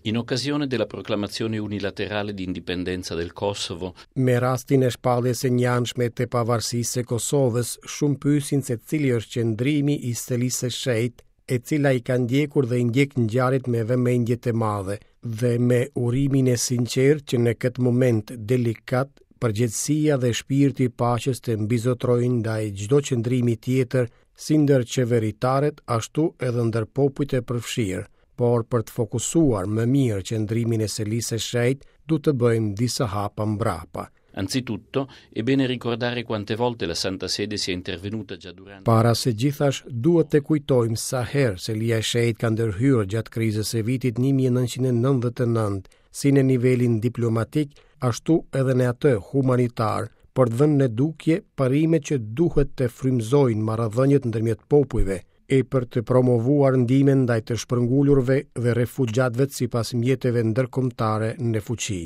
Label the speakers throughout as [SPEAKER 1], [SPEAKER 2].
[SPEAKER 1] In occasione della proclamazione unilaterale di indipendenza del Kosovo,
[SPEAKER 2] Me rastin e shpalljes së njëanshme të pavarësisë së Kosovës, shumë pyesin se cili është qëndrimi i Selisë së Shenjtë, e cila i ka ndjekur dhe i ndjek ngjarjet me vëmendje të madhe dhe me urimin e sinqertë që në këtë moment delikat përgjegjësia dhe shpirti i paqes të mbizotërojnë ndaj çdo qëndrimi tjetër si ndër qeveritarët ashtu edhe ndër popujt e përfshirë, por për të fokusuar më mirë qëndrimin e Selisë së Shenjtë, duhet të bëjmë disa hapa mbrapa.
[SPEAKER 1] Anzitutto, è bene ricordare quante volte la Santa Sede sia intervenuta già durante
[SPEAKER 2] Para së gjithash, duhet të kujtojmë sa herë Selia e Shenjtë ka ndërhyrë gjatë krizës së vitit 1999, si në nivelin diplomatik, ashtu edhe në atë humanitar, për të vënë në dukje parimet që duhet të frymëzojnë marrëdhëniet ndërmjet popujve, e për të promovuar ndihmën ndaj të shpërngulurve dhe refugjatëve sipas mjeteve ndërkombëtare në fuqi.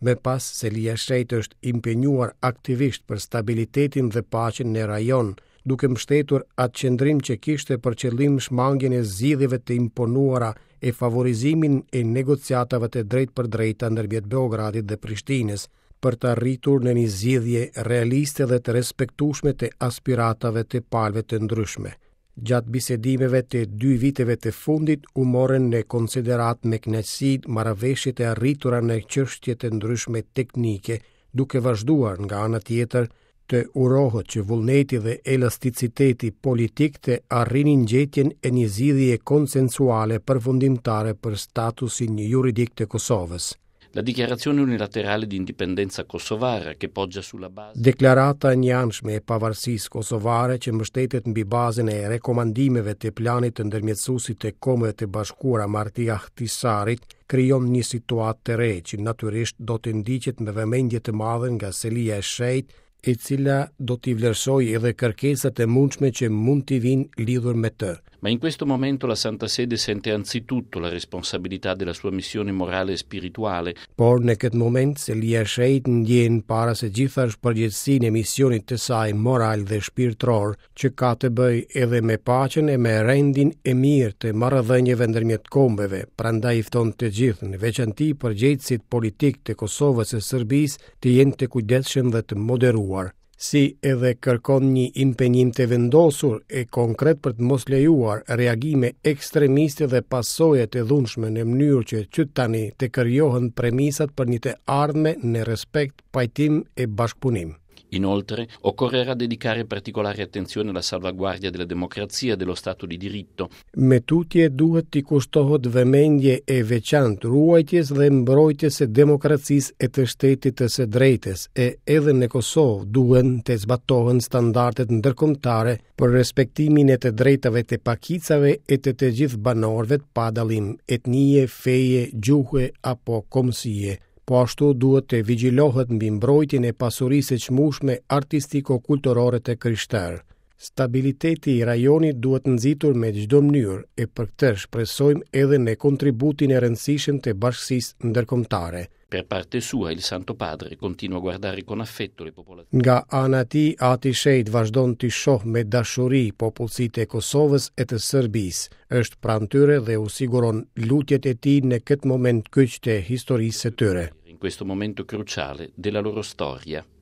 [SPEAKER 2] Më pas, Selia e Shenjtë është impenjuar aktivisht për stabilitetin dhe paqen në rajon, duke mbështetur atë qëndrim që kishte për qëllim shmangien e zgjidhjeve të imponuara e favorizimin e negociatave të drejtpërdrejta ndërmjet Beogradit dhe Prishtinës, për të arritur në një zgjidhje realiste dhe të respektueshme të aspiratave të palëve të ndryshme. Gjatë bisedimeve të dy viteve të fundit u morën në konsideratë me kënaqësi marrëveshjet e arritura në çështje të ndryshme teknike, duke vazhduar nga ana tjetër të urohet që vullneti dhe elasticiteti politik të arrinin gjetjen e një zgjidhjeje konsensuale përfundimtare për statusin juridik të Kosovës.
[SPEAKER 1] La dichiarazione unilaterale di indipendenza kosovara che poggia sulla base
[SPEAKER 2] Deklarata e njëanshme e pavarësisë kosovare që mbështetet mbi bazën e rekomandimeve të planit të ndërmjetësuesit të Kombeve të Bashkuara Marti Ahtisarit krijon një situatë të re që natyrisht do të ndiqet me vëmendje të madhe nga Selia e Shenjtë, e cila do t'i vlerësojë edhe kërkesat e mundshme që mund t'i vijnë lidhur me të.
[SPEAKER 1] Ma in questo momento la Santa Sede sente anzitutto la responsabilità della sua missione morale e spirituale.
[SPEAKER 2] Por në këtë moment Selia e Shenjtë ndjen para së gjithash përgjegjësinë e misionit të saj moral dhe shpirtëror, që ka të bëjë edhe me paqen e me rendin e mirë të marrëdhënieve ndërmjet kombeve, prandaj i fton të gjithë, në veçanti përgjegjësit politikë të Kosovës e Serbisë, të jenë të kujdesshëm dhe të moderuar, si edhe kërkon një impenjim të vendosur e konkret për të mos lejuar reagime ekstremiste dhe pasoja të dhunshme në mënyrë që që tani të krijohen premisat për një të ardhme në respekt, pajtim e bashkëpunim.
[SPEAKER 1] Inoltre, occorrerà dedicare particolare attenzione alla salvaguardia della democrazia e dello Stato di diritto.
[SPEAKER 2] Më tutje duhet t'i kushtohet vëmendje e veçantë ruajtjes dhe mbrojtjes së demokracisë e të shtetit të së drejtës, e edhe në Kosovë duhen të zbatohen standardet ndërkombëtare për respektimin e të drejtave të pakicave e të të gjithë banorëve pa dallim etnie, feje, gjuhe apo kombësie. Po ashtu duhet të vigjilohet mbi mbrojtjen e pasurisë së çmueshme artistiko-kulturore të krishterë. Stabiliteti i rajonit duhet nxitur me çdo mënyrë e për këtë shpresojmë edhe në kontributin e rëndësishëm të bashkësisë ndërkombëtare.
[SPEAKER 1] Per parte sua il Santo Padre continua a guardare con affetto le popolazioni.
[SPEAKER 2] Nga ana e tij, Ati i Shenjtë vazhdon t'i shohë me dashuri popullsitë e Kosovës e të Serbisë, është pranë tyre dhe u siguron lutjet e tij në këtë moment kyç të historisë së tyre.
[SPEAKER 1] In questo momento cruciale della loro storia.